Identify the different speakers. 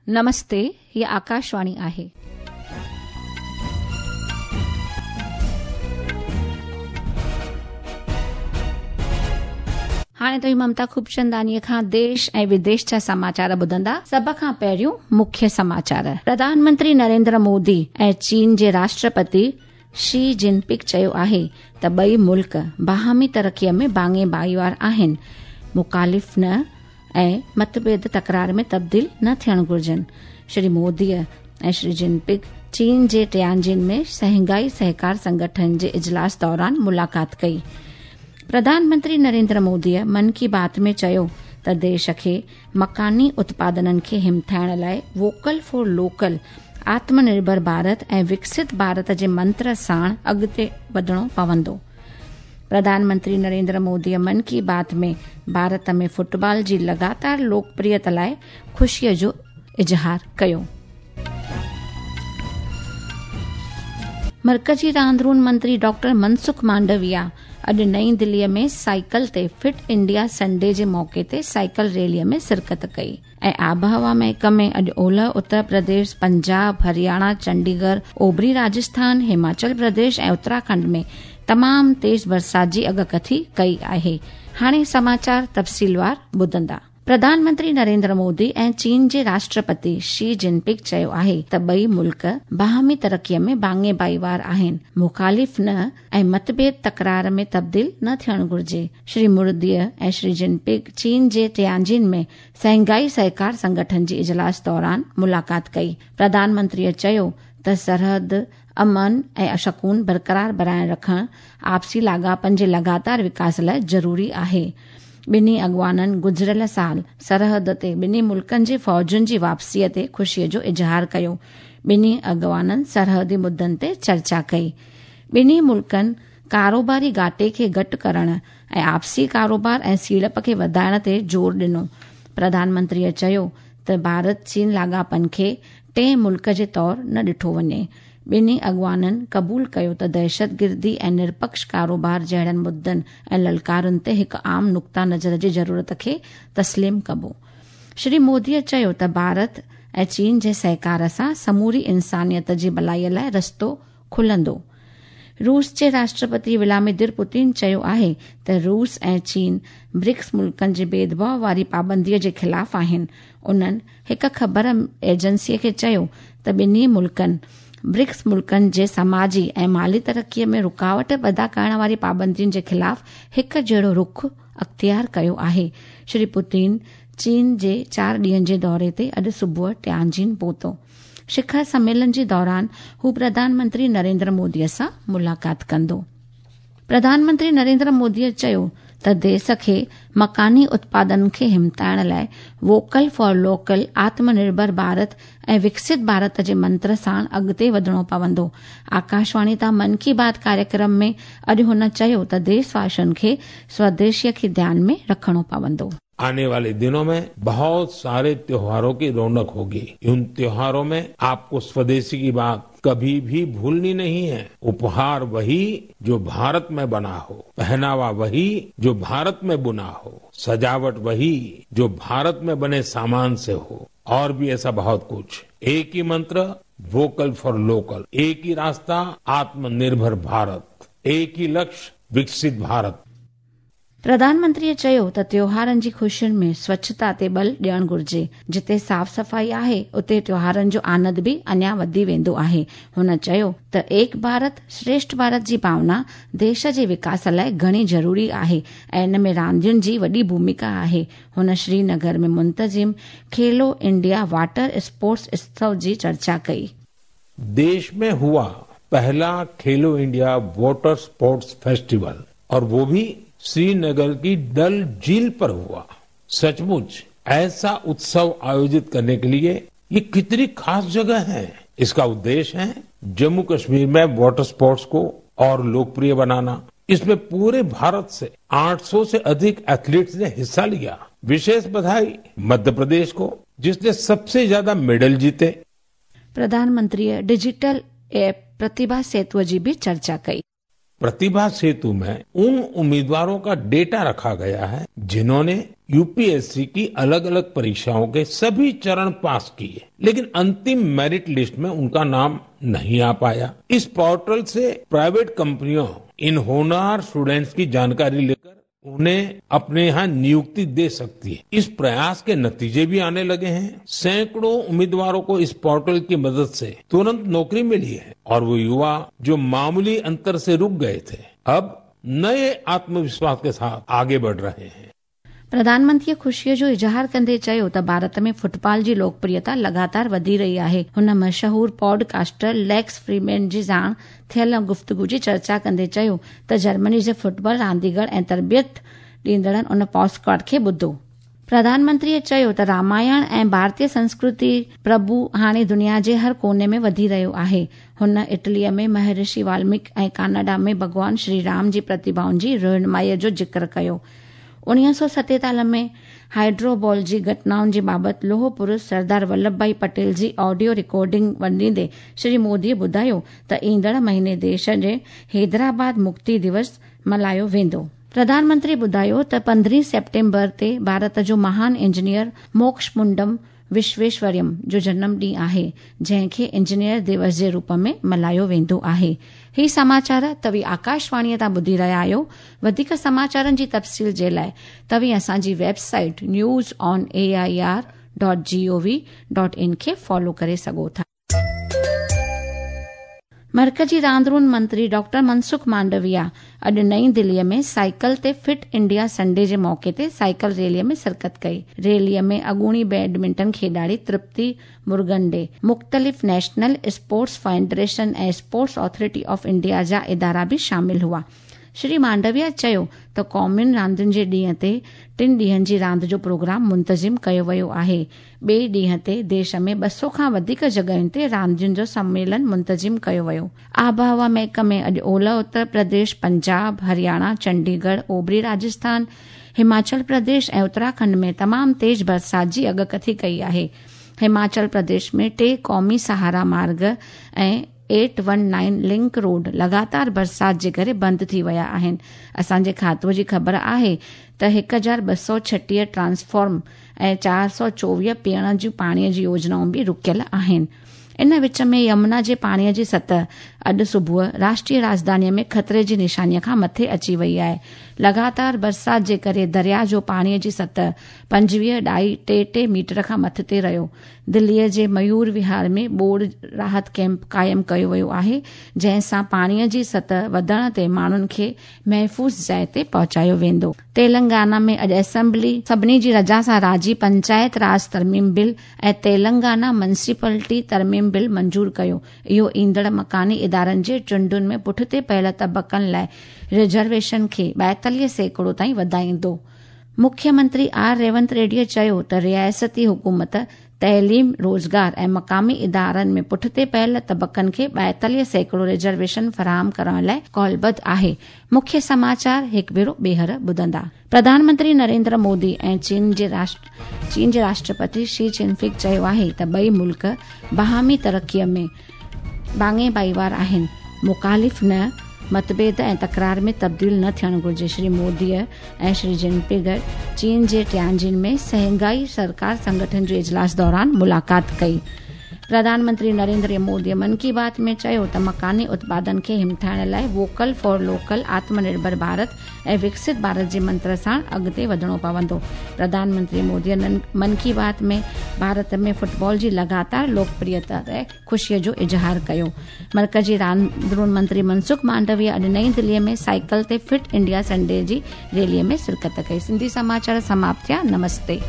Speaker 1: नमस्ते, हीअ आकाशवाणी आहे. हाणे तव्हीं ममता खूबचंदानीअ खां देश ऐं विदेश जा समाचार ॿुधंदा। सभ खां पहिरियों मुख्य समाचार। प्रधानमंत्री नरेंद्र मोदी ऐं चीन जे राष्ट्रपति शी जिनपिंग चयो आहे त ॿई मुल्क बाहमी तरक़ीअ में भाङे भाईवार आहिनि, मुखालिफ़ न ऐं मतभेद तकरार में तब्दील न थियणु घुर्जनि। श्री मोदीअ ऐं श्री जिनपिंग चीन जे टियांजिन में शंघाई सहकार संगठन जे इजलास दौरान मुलाक़ात कई। प्रधानमंत्री नरेंद्र मोदीअ मन की बात में चयो त देश खे मकानी उत्पादननि खे हिमथाइण लाइ वोकल फॉर लोकल, आत्मनिर्भर भारत ऐं विकसित भारत जे मंत्र साण अॻिते वधणो पवंदो। प्रधानमंत्री नरेंद्र मोदीअ मन की बात में भारत में फुटबॉल जी लगातार लोकप्रियता लाइ ख़ुशीअ जो इज़हार कयो। मर्कजी रांदरून मंत्री डॉक्टर मनसुख मांडविया अॼु नई दिल्लीअ में साइकिल ते फिट इंडिया संडे जे मौक़े ते साइकिल रैलीअ में शिरकत कई। ऐं आबहवा महकमे अॼु ओलह उत्तर प्रदेश, पंजाब, हरियाणा, चंडीगढ़, ओभरी राजस्थान, हिमाचल प्रदेश ऐं उत्तराखंड में तमामु तेज़ बरसाति जी अॻकथी कई आहे। हाणे समाचार तफ़सीलवार ॿुधंदा। प्रधानमंत्री नरेंद्र मोदी ऐं चीन जे राष्ट्रपति शी जिनपिंग चयो आहे त ॿई मुल्क बाहमी तरक़ीअ में भाङे भाईवार आहिनि, मुखालिफ़ न ऐं मतभेद तकरार में तब्दील न थियणु घुर्जे। श्री मोदीअ ऐं श्री जिनपिंग चीन जे टियांजिन में शंघाई सहकार संगठन जे इजलास दौरान मुलाक़ात कई। प्रधानमंत्रीअ चयो त सरहद अमन ऐं शकून बरक़रार बणाए रखणु आपसी लाॻापनि जे लगातार विकास लाइ ज़रूरी आहे। ॿिन्ही अॻवाननि गुज़िरियल साल सरहद ते ॿिन्ही मुल्कनि जे फ़ौजुनि जी वापसीअ ते ख़ुशीअ जो इज़हार कयो। ॿिन्ही अॻवाननि सरहदी मुद्दनि ते चर्चा कई। ॿिन्ही मुल्कनि कारोबारी घाटे खे घटि करण ऐं आपसी कारोबार ऐं सीड़प खे वधाइण ते ज़ोर ॾिनो। प्रधानमंत्रीअ चयो त भारत चीन लाॻापनि खे टे मुल्क जे तौर न ॾिठो वञे। ॿिन्ही अॻवाननि क़बूल कयो त दहशतगिर्दी ऐं निरपक्ष कारोबार जहिड़नि मुद्दनि ऐं ललकारुनि ते हिकु आम नुक्ता नज़र जी ज़रूरत खे तस्लीम कबो। श्री मोदीअ चयो त भारत ऐं चीन जे सहकार सां समूरी इंसानियत जी भलाईअ लाइ रस्तो खुलंदो। रूस जे राष्ट्रपति व्लादिमीर पुतिन चयो आहे त रूस ऐं चीन ब्रिक्स मुल्कनि जे भेदभाव वारी पाबंदीअ जे ख़िलाफ़ आहिनि। उन्हनि हिकु ख़बर एजेंसीअ खे चयो त ॿिन्ही मुल्कनि ब्रिक्स मुल्कनि जे समाजी ऐं माली तरक़ीअ में रुकावट पैदा करण वारी पाबंदियुनि जे ख़िलाफ़ हिकु जहिड़ो रुख अख़्तियार कयो आहे। श्री पुतिन चीन जे 4 ॾींहनि जे दौरे ते अॼु सुबुह टियांजिन पहुतो। शिखर सम्मेलन जे दौरान हू प्रधानमंत्री नरेंद्र मोदीअ सां मुलाक़ात कंदो। प्रधानमंत्री नरेंद्र मोदीअ चयो त देश खे मकानी उत्पादन खे हिमथाइण लाइ वोकल फॉर लोकल, आत्मनिर्भर भारत ऐं विकसित भारत जे मंत्र साण अॻिते वधणो पवंदो। आकाशवाणी तां मन की बात कार्यक्रम में अॼु हुन चयो त देशवासियुनि खे स्वदेशीअ खे ध्यान में रखणो पवंदो।
Speaker 2: आने वाले दिनों में बहुत सारे त्योहारों की रौनक होगी। उन त्योहारों में आपको स्वदेशी की बात कभी भी भूलनी नहीं है। उपहार वही जो भारत में बना हो, पहनावा वही जो भारत में बुना हो, सजावट वही जो भारत में बने सामान से हो, और भी ऐसा बहुत कुछ। एक ही मंत्र, वोकल फॉर लोकल, एक ही रास्ता, आत्मनिर्भर भारत, एक ही लक्ष्य, विकसित भारत।
Speaker 1: प्रधानमंत्रीअ चयो त त्योहारनि जी ख़ुशियुनि में स्वच्छता ते बल ॾियणु घुर्जे। जिते साफ़ सफ़ाई आहे उते त्योहारनि जो आनंद बि अञा वधी वेंदो आहे। हुन चयो त एक भारत श्रेष्ठ भारत जी भावना देश जे विकास लाइ घणी ज़रूरी आहे ऐं इन में रांदियुनि जी वॾी भूमिका आहे। हुन श्रीनगर में मुंतज़िम खेलो इंडिया वाटर स्पोर्ट्स उत्सव जी चर्चा कई।
Speaker 2: देश में हुआ पहला Khelo India water sports festival, और वो भी श्रीनगर की डल झील पर हुआ। सचमुच ऐसा उत्सव आयोजित करने के लिए ये कितनी खास जगह है। इसका उद्देश्य है जम्मू कश्मीर में वाटर स्पोर्ट्स को और लोकप्रिय बनाना। इसमें पूरे भारत से 800 से अधिक एथलीट्स ने हिस्सा लिया। विशेष बधाई मध्य प्रदेश को, जिसने सबसे ज्यादा मेडल जीते।
Speaker 1: प्रधानमंत्री डिजिटल ऐप प्रतिभा सेतुअ जी बि चर्चा कई।
Speaker 2: प्रतिभा सेतु में उन उम्मीदवारों का डेटा रखा गया है जिन्होंने यूपीएससी की अलग अलग परीक्षाओं के सभी चरण पास किए, लेकिन अंतिम मेरिट लिस्ट में उनका नाम नहीं आ पाया। इस पोर्टल से प्राइवेट कंपनियों इन होनहार स्टूडेंट्स की जानकारी लेकर उन्हें अपने यहाँ नियुक्ति दे सकती है। इस प्रयास के नतीजे भी आने लगे हैं। सैकड़ों उम्मीदवारों को इस पोर्टल की मदद से तुरंत नौकरी मिली है और वो युवा जो मामूली अंतर से रुक गए थे, अब नए आत्मविश्वास के साथ आगे बढ़ रहे हैं।
Speaker 1: प्रधानमंत्रीअ ख़ुशीअ जो इज़हार कंदे चयो त भारत में फुटबॉल जी लोकप्रियता लगातार वधी रही आहे। हुन मशहूर पॉडकास्टर लेक्स फ्रीमैन जी साण थियल गुफ़्तगू जी चर्चा कंदे चयो त जर्मनी जे फुटबॉल रांदीगर ऐं तरबियत ॾींदड़नि उन पॉडकास्ट खे ॿुधो। प्रधानमंत्रीअ चयो त रामायण ऐं भारतीय संस्कृति प्रभु हाणे दुनिया जे हर कोने में वधी रहियो आहे। हुन इटलीअ में महर्षि वाल्मीकि ऐं कनाडा में भॻवान श्री राम जी प्रतिभाउनि जी रहनुमाईअ जो ज़िक्र कयो। 1947 में हाइड्रोबॉल जी घटनाउनि जी बाबति लोह पुरुष सरदार वल्लभ भाई पटेल जी ऑडियो रिकॉर्डिंग वंडींदे श्री मोदीअ ॿुधायो त ईंदड़ महीने देश जे हैदराबाद मुक्ति दिवस मल्हायो वेंदो। प्रधानमंत्री ॿुधायो त 15 सेप्टेम्बर ते भारत जो महान इंजीनियर मोक्षमुंडम विश्वेश्वरयम जो जनम ॾींहुं आहे, जंहिंखे इंजीनियर दिवस जे रूप में मल्हायो वेंदो आहे। ही समाचार तव्हीं आकाशवाणीअ तां ॿुधी रहिया आहियो। वधीक समाचारनि जी तफ़सील जे लाइ तव्हीं असांजी वेबसाइट newsonair.gov.in खे फॉलो करे सघो था। मर्कजी रांदरून मंत्री डॉक्टर मनसुख मांडविया अॼु नई दिल्लीअ में साइकिल ते फिट इंडिया संडे जे मौक़े ते साइकिल रैलीअ में शिरकत कई। रैलीअ में अॻूणी बैडमिंटन खेॾाड़ी तृप्ति मुरगंडे, मुख़्तलिफ़ नेशनल स्पोर्ट्स फेडरेशन ऐं स्पोर्ट्स अथॉरिटी ऑफ इंडिया जा इदारा बि शामिल हुआ। श्री मांडविया चयो त क़ौमियुनि रांदियुनि जे ॾींहं ते 3 ॾींहनि जी रांदि जो प्रोग्राम मुंतज़िम कयो वियो आहे। ॿिए ॾींहं ते देश में 200 खां वधीक जॻहियुनि ते रांदियुनि जो सम्मेलन मुंतज़िम कयो वियो। आबहवा महकमे अॼु ओलह उत्तर प्रदेश, पंजाब, हरियाणा, चंडीगढ़, ओभरी राजस्थान, हिमाचल प्रदेश ऐं उत्तराखंड में तमामु तेज़ बरसाति जी अॻकथी कई आहे। हिमाचल प्रदेश में 3 क़ौमी सहारा मार्ग ऐं 819 लिंक रोड लगातार बरसाति जे करे बंदि थी विया आहिनि। असांजे खातो जी ख़बर आहे त 1236 ट्रांसफॉर्म ऐं 424 पीअण जूं पाणीअ जी योजनाऊं बि रुकियल आहिनि। इन विच में यमुना जे पाणीअ जी सतह अॼु सुबुह राष्ट्रीय राजधानीअ में ख़तरे जी निशानीअ खां मथे अची वई आहे। लगातार बरसाति जे करे दरिया जो पाणीअ जी सतह 25.33 मीटर खां मथे रहियो। दिल्लीअ जे मयूर विहार में ॿोड़ राहत कैंप क़ाइमु कयो वियो आहे, जंहिं सां पाणीअ जी सतह वधण ते माण्हुनि खे महफ़ूज़ जाइ ते पहुचायो वेंदो। तेलंगाना में अॼु असेंबली सभिनी जी रज़ा सां राज़ी पंचायत राज तरमीम बिल ऐं तेलंगाना म्युनिसिपलिटी तरमीम बिल मंज़ूर कयो। इहो ईंदड़ मकानी इदारनि जे चूंडुनि में पुठिते पयल तबक़नि लाइ रिज़र्वेशन खे 42% ताईं वधाईंदो। मुख्यमंत्री are Revanth रेड्डीअ चयो त रियासती हुकूमत तइलीम, रोज़गार ऐं मक़ामी इदारनि में पुठिते पयल तबक़नि खे 42% रिज़र्वेशन फराहम करण लाइ कौलबद्ध आहे। मुख्य समाचार हिकु भेरो ॿीहर ॿुधंदा। प्रधानमंत्री नरेंद्र मोदी ऐं चीन जे राष्ट्रपति शी जिनपिंग चयो आहे त ॿई मुल्क बाहमी तरक़ीअ में भाङे भाईवार आहिनि, मुखालिफ़ न, मतभेद ऐं तकरार में तब्दील न थियणु घुरिजे। श्री मोदीअ ऐं श्री जिनपिंग चीन जे टियांजिन में शंघाई सरकार संगठन जे इजलास दौरान मुलाक़ात कई। प्रधानमंत्री नरेंद्र मोदीअ मन की बात में चयो त मकानी उत्पादन खे हिमठाइण लाइ वोकल फॉर लोकल, आत्मनिर्भर भारत ऐं विकसित भारत जे मंत्र सां अॻिते वधणो पवंदो। प्रधानमंत्री मोदीअ मन की बात में भारत में फुटबॉल जी लगातार लोकप्रियता ते ख़ुशीअ जो इज़हार कयो। मर्कजी रांदरून मंत्री मनसुख मांडविया अॼु नई दिल्लीअ में साइकिल ते फिट इंडिया संडे जी रैलीअ में शिरकत कई। सिंधी समाचार समाप्त थिया। नमस्ते।